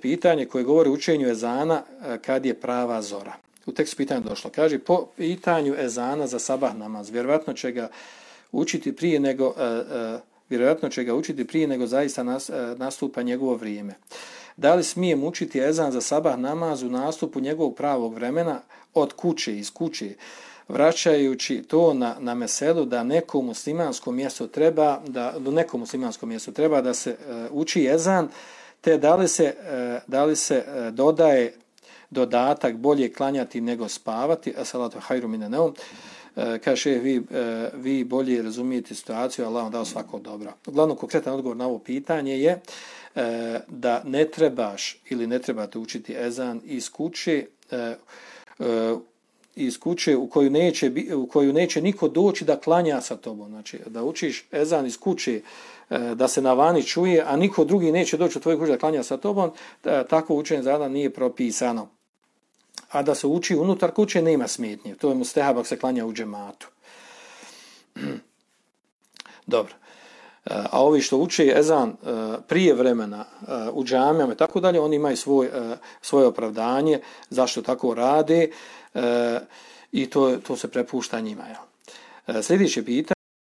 pitanje koje govori o učenju ezana kad je prava zora. U tekstu pitanja došlo. Kaže, po pitanju ezana za sabah namaz, vjerojatno će ga učiti prije nego zaista nastupa njegovo vrijeme. Da li smijem učiti ezan za sabah namaz u nastupu njegovog pravog vremena od kuće, iz kuće, vraćajući to na meselu da nekom muslimanskom mjestu treba da se uči ezan, te da li se dodaje dodatak bolje klanjati nego spavati, salatu hajru mine neum. Kaže, vi bolje razumijete situaciju, Allah vam dao svako dobro. Uglavnom, konkretan odgovor na ovo pitanje je da ne trebaš ili ne trebate učiti ezan iz kuće u koju neće niko doći da klanja sa tobom. Znači, da učiš ezan iz kuće da se na vani čuje, a niko drugi neće doći u tvoju kuću da klanja sa tobom, tako učenje ezana nije propisano. A da se uči unutar kuće nema smetnje. To je mustehab ako se klanja u džematu. Dobro. A ovi što uče ezan prije vremena u džamijama i tako dalje, oni imaju svoje opravdanje zašto tako rade i to se prepušta njima. Sljedeće pitanje.